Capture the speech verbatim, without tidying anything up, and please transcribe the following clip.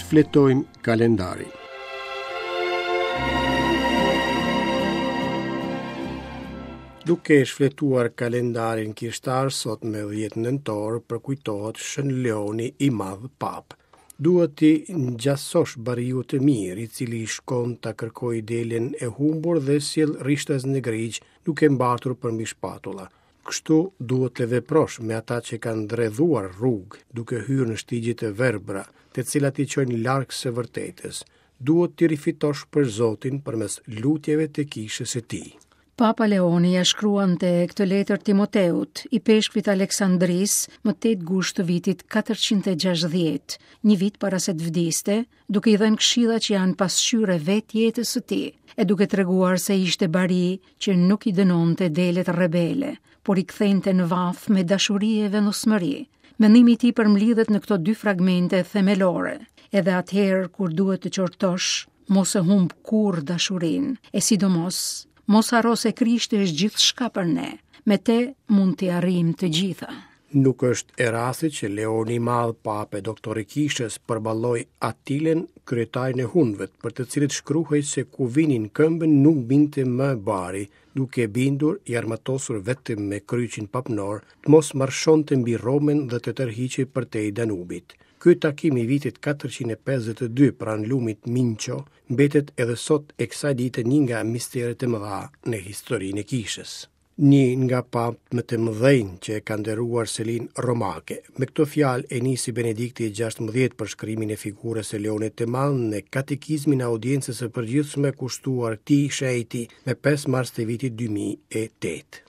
Shfletojmë kalendarin. Duke shfletuar kalendarin kishtar, sot me dhjetë nëntor përkujtohet Shën Leoni i Madh Papë. Duhet t'i ngjasosh bariut të mirë, i cili shkon ta kërkojë delen e humbur dhe sjell rishtas në grigjë, duke mbartur përmbi shpatulla. Kështu duhet të veprosh me ata që kanë dredhuar rrugë, duke hyrë në shtigje të verbra, të cilat i çojnë larg së vërtetës. Duhet t'i rifitosh për Zotin përmes lutjeve të kishës së tij. Papa Leoni ja shkruante këtë letër Timoteut, i peshkvit Aleksandrisë, më tetë gusht të vitit katërqind e gjashtëdhjetë, një vit para se të vdiste, duke i dhënë këshilla që janë pasqyre vetë jetës së tij, e duke treguar se ishte bari që nuk i dënonte delet rebele, por i kthente në vath me dashuri e vendosmëri. Mendimi i tij përmblidhet në këto dy fragmente themelore. Edhe atëherë kur duhet të qortosh, mos e humb kurrë dashurinë, e sidomos mos harro se Krishti është gjithçka për ne. Me te mund t'i arrijmë të gjitha. Nuk është e rastit që Leoni i Madh, Papë e doktor i kishës, përballoi Atilën, kryetarin e hunëve, për të cilët shkruhej se ku vinin këmbën nuk binte më bari, duke bindur i armatosur vetëm me kryqin papnor, të mos marshonte mbi Romën dhe të tërhiqej përtej Danubit. Ky takim i vitit katërqind e pesëdhjetë e dy pranë lumit Minço mbetet edhe sot e kësaj dite një nga misteret e mëdha në historinë e kishës. Një nga papët më të mëdhenj që e ka nderuar selinë romake. Me këto fjalë e nisi Benedikti i gjashtëmbëdhjetë përshkrimin e figurës së Leonit të Madh në katekizmin e audiencës së përgjithshme kushtuar këtij shenjti me pesë mars të vitit dy mijë e tetë.